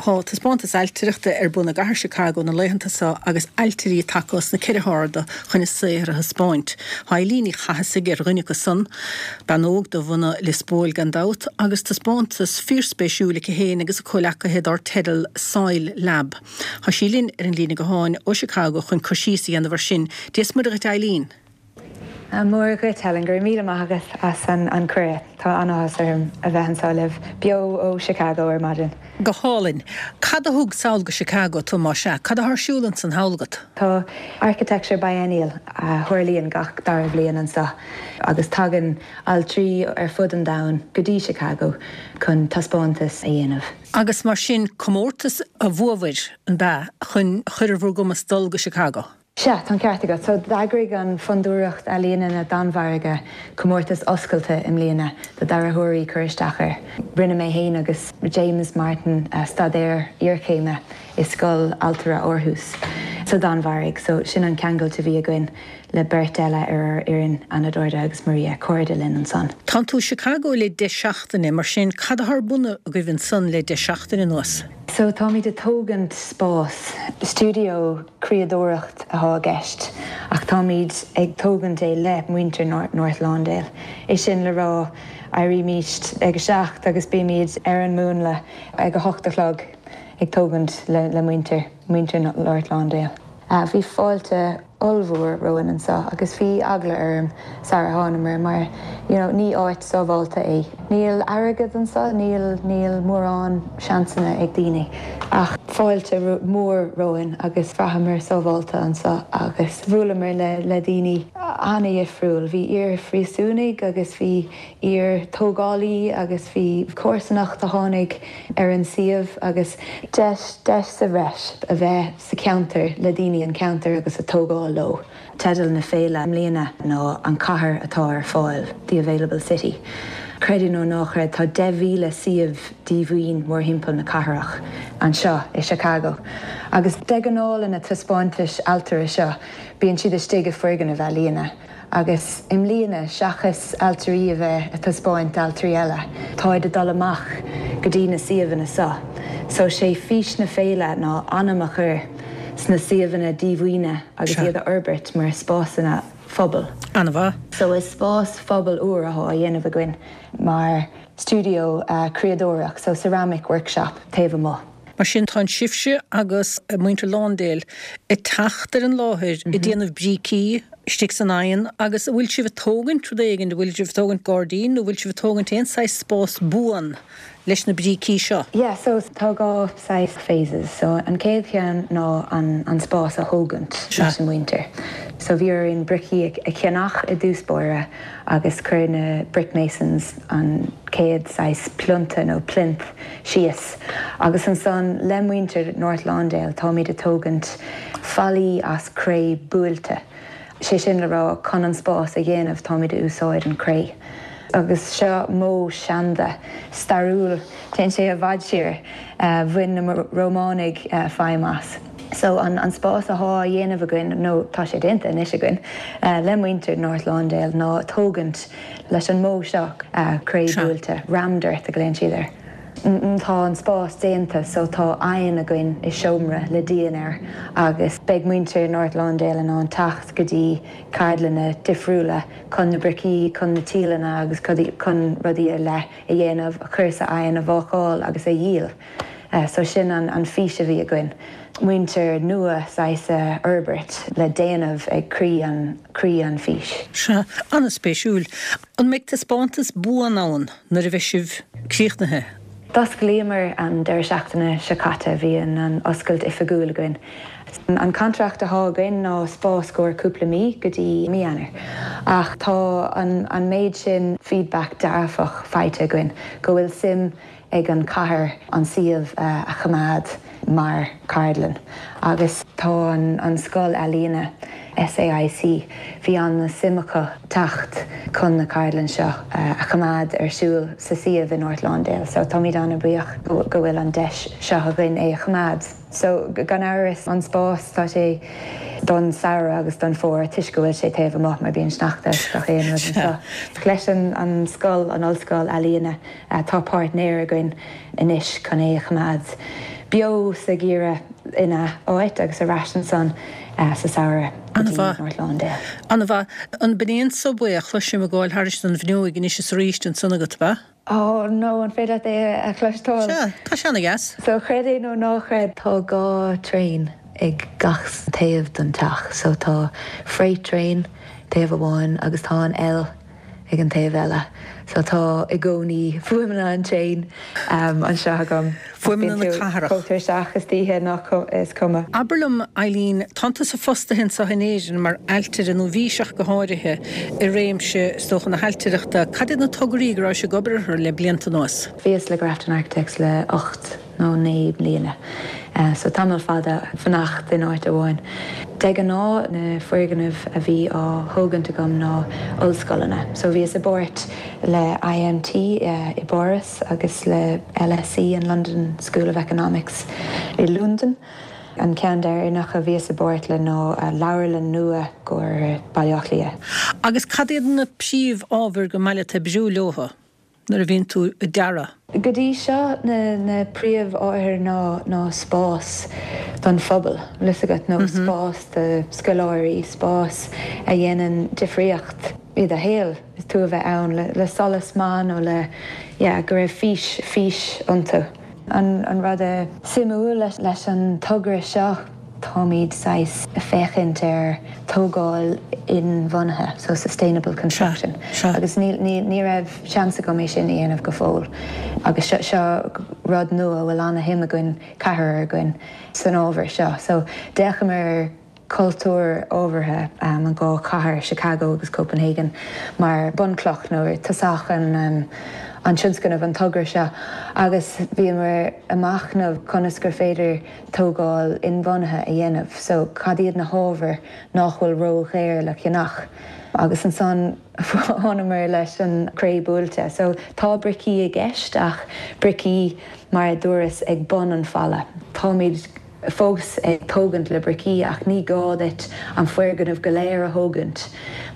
Tá taispeántas ailtireachta ar bun i gcathair Chicago na laethanta seo agus ailtirí tagtha os na ceithre harda chun a saothar a thaispeáint. Tá Eileen Ní Chathasaigh ar dhuine acu san, bean óg de bhunadh Lios Póil gan dabht, agus taispeántas fíorspéisiúil aici féin agus a comhleacaithe dár teideal Soil Lab. Tá sí linn ar an líne gutháin ó Chicago chun cur síos a dhéanamh ar sin. Dia is Muire dhuit Eileen. Muire dhuit, Helen. Go raibh míle maith agat as an cuireadh. Tá an-áthas orm a bheith anseo libh, beo ó Chicago ar maidin. Go hálainn. Cad a thug sall go Chicago tú, más ea? Cad atá ar siúl ansan thall agat? Tá Architecture Biennial a tharlaíonn gach dara bhliain anseo agus tagann ailtirí ar fud an domhain go dtí Chicago chun taispeántas a dhéanamh. Agus mar sin, comórtas a bhuabhair, an b'ea, chun chur ar bhur gcumas dul go Chicago? Sea, tá an ceart agat. So, d'eagraigh an Fondúireacht Ealaíona na Danmhairge comórtas oscailte i mbliana do dearthóirí cur isteach air. Rinne mé féin agus James Martin staidéar iarchéime i Scoil Ailtire Aarhus sa Danmhairg, so sin an ceangailt a bhí againn le beirt eile ar ár fhoireann, Anna Dorda agus Maria, cairde linn ansan. Tánn tú i Chicago le deich seachtaine, mar sin cad atá ar bun agaibh ansan le deich seachtaine anuas? So, táimid ag tógaint spás, stiúideo criadóireacht athá i gceist ach táimid ag tógaint é le muintir North Lawndale. É sin le rá, éirímíst ag a seacht agus bímid ar an múnla ag a hocht a chlog ag tógaint le muintir, muintir North Lawndale. Bhí fáilte ollmhór romhainn anseo agus bhí eagla orm sara thánamar mar you know ní áit sábhálta é. Níl airgead anseo, níl, níl mórán seansanna ag daoine ach fáilte mhór romhainn agus bhraitheamar sábhálta anseo agus bhuaileamar le le daoine an-dhifriúil. Bhí iar-phríosúnaigh agus bhí iar-tógálaí agus bhí comharsanacht a tháinig ar an suíomh agus deis, deis sa bhreis a bheith sa cheantar le daoine an cheantair agus a tógáil leo. Teideal na féile i mbliana ná 'An Chathair atá ar Fáil', The Available City. Creid é nó ná creid, tá 10,000 suíomh díomhaoin mórthimpeall na cathrach anseo i Chicago. Agus de ghnáth na taispeántais ailtire seo, bíonn siad istigh i foirgnimh ealaíne. Agus i mbliana, seachas ailtirí a bheith a taispeáint d'ailtirí eile, táid a dul amach go dtí na suíomhanna seo. So sé fís na féile ná anam a chur sna suíomhanna díomhaoine agus iad a fhorbairt mar spásanna phobail. An-mhaith. So is spás phobail úr athá á dhéanamh againn mar stiúideo criadóireacht, so ceramic workshop, taobh amuigh. Mar sin, tá sibhse agus muintir Lawndale ag teacht ar an láthair, ag déanamh brící istigh san oigheann agus an bhfuil sibh ag tógaint rud éigin, an bhfuil sibh ag tógaint gairdín nó an bhfuil sibh ag tógaint aon saghas spás buan leis na brící seo? Yeah, so tá dhá saghas phases. So an chéad cheann ná an an spás a thógaint leis an muintir. So bhí orainn bricí a cheannach i dtús báire agus chuir na brick masons an chéad saghas plionta nó plinth síos agus ansan le muintir North Lawndale táimid a tógaint fallaí as cré buailte, sé sin le rá chun an spás a dhéanamh táimid a úsáid an cré. Agus seo modh seanda, stairiúil, téann sé i bhfad siar, bhain na Rómánaigh feidhm as. So an spás athá á dhéanamh againn, nó tá sé déanta anois againn, le muintir North Lawndale ná tógaint Leis an modh seo, cré buailte, rammed earth a ghlaonn siad air. Tá an spás déanta so tá oigheann againn i seomra le díon air agus beidh muintir North Lawndale in ann teacht go dtí ceardlanna difriúla chun na bricí, chun na tíleanna agus chun rudaí ar leith a dhéanamh, a chur sa oigheann, a bhácáil agus a dhíol. So sin an fís a bhí againn, muintir nua saghas a fhorbairt le déanamh ag croí an, croí an fís. Sea, an-spéisiúil. An mbeidh taispeántas buan ann nuair a bheidh sibh críochnaithe? D'osclaíomar an deireadh seachtaine seo caite, bhí an oscailt oifigiúil againn. An contract athá againn ná spás gcomhair cúpla mí go dtí mí Eanáir ach tá an méid sin feedback dearfach faighte againn go bhfuil suim ag an chathair an suíomh a choimeád mar cheardlann agus tá an scoil ealaíne, SAIC, bhí an-suim acu teacht chun na ceardlann seo a choimeád ar siúl sa suíomh i North Lawndale so táimid an-bhuíoch go bhfuil an deis seo againn é a choimeád. So gan amhras an spás tá sé don samhradh agus don fómhar toisc go bhfuil sé taobh amuigh mar bíonn sneachta is gach aon rud anseo. Leis an scoil, an ollscoil ealaíne, Tá páirtnéir againn anois chun é a choimeád. beo sa gheimhreadh ina áit agus ar ais ansan sa samhradh go dtí North Lawndale. An-mhaith. An b'in é an subway a chloisim ag gabháil thairis an bhfuinneoig anois is arís ansan agat, ab ea? Oh no, an féidir leat é a chloisteáil? Sea, tá sé ana-dheas. So creid é nó ná creid, tá 2 traein ag gach taobh den teach. So tá freight train taobh amháin agus tá an L ag an taobh eile. So tá i gcónaí fuaimeanna an traein anseo agam. Fuaimeanna na cathrach. Chomh tuirseach istoíche nach is cuma. Abair liom, Eileen, tánn tusa fostaithe anseo in Éirinn mar ailtire, nó bhís ach go háirithe, i réimse, is dócha, na hailtireachta. Cad iad na tograí go rabhais ag obair orthu le blianta anuas? Bhíos le Grafton Architects le 8 nó 9 mbliana, so tamall fada fanacht in áit amháin. De ghnáth na foirgnimh a bhí á thógaint agam ná ollscoileanna, so bhíos i bpáirt le IMT i bPáras agus le LSE, an London School of Economics i Londain. An ceann deireanach a bhíos i bpáirt le ná leabharlann nua i gcomhair Baile Átha Cliath. Agus cad iad na príomh-ábhair gur maith leat oibriú leothu? nuair a bhíonn tú ag dearadh? Go dtí seo na príomh-ábhair ná ná spás don phobal, bhfuil fhios agat, nó spás do scoláirí, spás a dhéanann difríocht i do shaol, is tú a bheith ann le solas maith nó le, yeah, go raibh fís, fís iontu. An rud suimiúil leis an togra seo, táimid saghas ag féachaint ar tógáil inbhuanaithe, so sustainable construction, agus ní raibh seans agam é sin a dhéanamh go fóill agus seo rud nua a bhfuil ana-shuim againn, ceathrar againn, san ábhar seo. So d'fhéachamar ar cultúr ábhartha an dhá chathair, Chicago agus Copenhagen, mar bunchloch nó tosach an tionscnaimh, an togra seo, agus bhíomar ag machnamh conas gur féidir tógáil inbhuanaithe a dhéanamh. So cad iad na hábhair nach bhfuil ró-dhaor le ceannach? Agus ansan thánamar leis an cré buailte. So tá bricí i gceist ach bricí mar a dúras ag bun an falla. Táimid fós ag tógaint le bricí ach ní gá duit an foirgneamh go léir a thógaint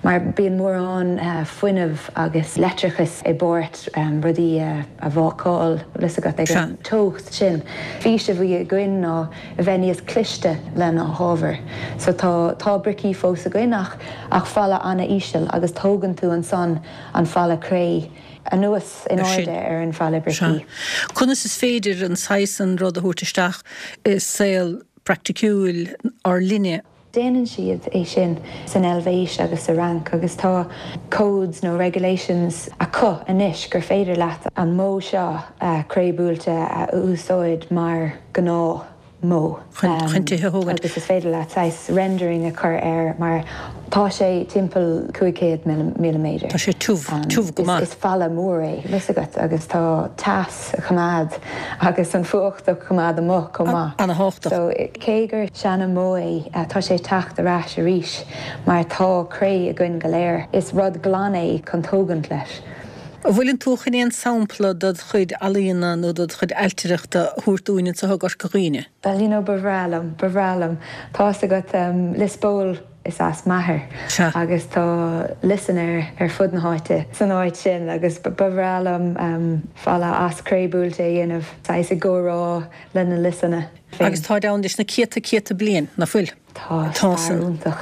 mar bíonn mórán fuinnimh agus leictreachais i bpáirt rudaí a bhácáil, bhfuil fhios agat, ag an teocht sin. Fís a bhí againn ná a bheith níos cliste le na hábhair. So tá tá bricí fós againn ach ach falla ana-íseal agus tógann tú ansan an falla cré anuas in airde ar an falla bricí. Sea. Conas is féidir an saghas san rud a thabhairt isteach i saol praiticiúil ár linne? Déanann siad é sin san Eilvéis agus sa Fhrainc agus tá codes nó regulations acu anois gur féidir leat an modh seo cré buailte a úsáid mar gnáth. modh. Chun tithe a thógaint. Agus is féidir leat saghas rendering a chur air mar tá sé timpeall 500 milliméadar. Tá sé tiubh, tiubh go maith. Is falla mór é, bhfuil fhios agat, agus tá teas a choimeád agus an fuacht a choimeád amuigh chomh maith. Ana-thábhachtach. So cé gur seana-mhodh é, tá sé ag teacht ar ais arís mar tá cré againn go léir. Is rud glan é chun tógaint leis. An bhfuileann tú chun aon sampla dod chuid ealaíona nó dod chuid ailtireachta a thabhairt dúinn anseo i gCorca Dhuibhne? Bhuel, you know, ba bhreá liom, ba bhreá liom. Tá's agat, Lios Póil is as m'athair agus tá liosanna ar fud na háite san áit sin agus ba bhreá liom falla as cré buailte a dhéanamh, saghas i gcomhrá le na liosanna féin. Agus táid ann leis na céadta céadta bliain, nach bhfuil? Tá, stair iontach.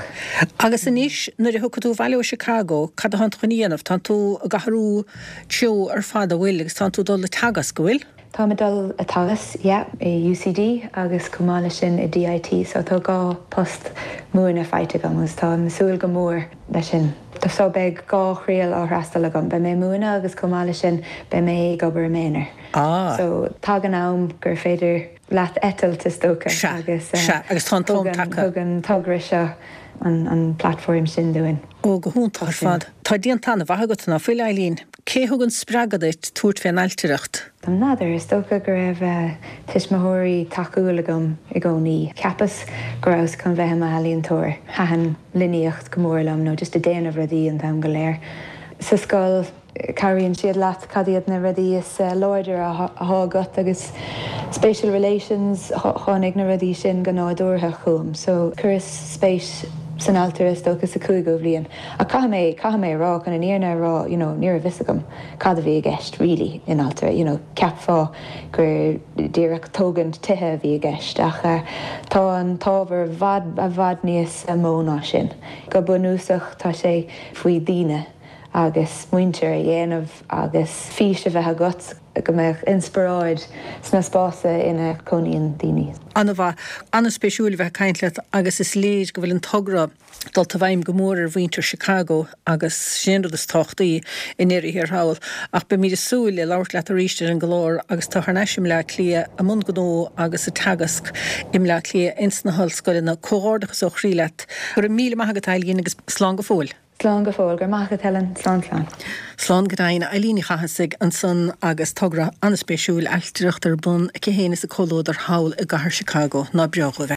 Agus anois, nuair a thiocfaidh tú abhaile ó Chicago, cad atánn tú chun a dhéanamh? Tánn tú ag athrú treo ar fad, an bhfuil? Agus tánn tú ag dul ag teagasc, an bhfuil? Táim ag dul ag teagasc, yeah, i UCD agus chomh maith leis sin i DIT, so tá dhá post múineadh faighte agam agus táim ag súil go mór leis sin. So beidh dhá thriail á fhreastal agam, beidh mé ag múineadh agus chomh maith leis sin beidh mé ag obair i m'aonar. Ah. So tagann am gur féidir. leat eitilt, is dócha, Sea, agus sea, agus tá an t-am tagtha. thug an togra seo an platform sin dúinn. Ó, go hiontach ar fad. Tá déanta an-mhaith agat, ná fuil, Eileen? Cé thug an spreagadh duit tabhairt fén ailtireacht? N'fheadar, is dócha go raibh tuismitheoirí tacúil agam i gcónaí. Cheapas go rabhas chun bheith i m'ealaíontóir. Thaitin líníocht go mór liom, nó just ag déanamh rudaí an t-am go léir. Sa scoil. Cabhraíonn siad leat cad iad na rudaí is láidre atá agat agus spatial relations, tháinig na rudaí sin go nádúrtha chugam. So chuireas spéis. san ailtire is dócha sa chúigiú bhliain ach caithfidh mé, caithfidh mé a rá, chun an fhírinne a rá, you know, ní raibh fhios agam cad a bhí i gceist really in ailtire, you know, cheapfá gur díreach tógaint tithe a bhí i gceist ach tá an t-ábhar i bhfad, i bhfad níos mó ná sin. Go bunúsach tá sé faoi daoine agus muintir a dhéanamh agus fís a bheith agat go mbeadh inspioráid sna spásanna ina cónaíonn daoine. An-mhaith. An-spéisiúil a bheith ag caint leat agus is léir go bhfuil an togra dulta i bhfeidhm go mór ar mhuintir Chicago agus sin an rud is tábhachtaí i ndeireadh thiar thall. Ach beimid ag súil le labhairt leat arís ar an gclár agus tú thar n-ais i mBleá Cliath i mbun gnó agus ag teagasc i mBleá Cliath ins na hollscoileanna. Comhghairdeachas ó chroí leat. Go raibh míle maith agat Eileen agus slán go fóill. Slán go fóill. Go raibh maith agat Helen. Slán slán. Slán go deimhin. Eileen Ní Chathasaigh ansan agus togra an-spéisiúil ailtireacht ar bun aici féin is a comhluadar thall i gcathair Chicago. Ná breá dhóibh é.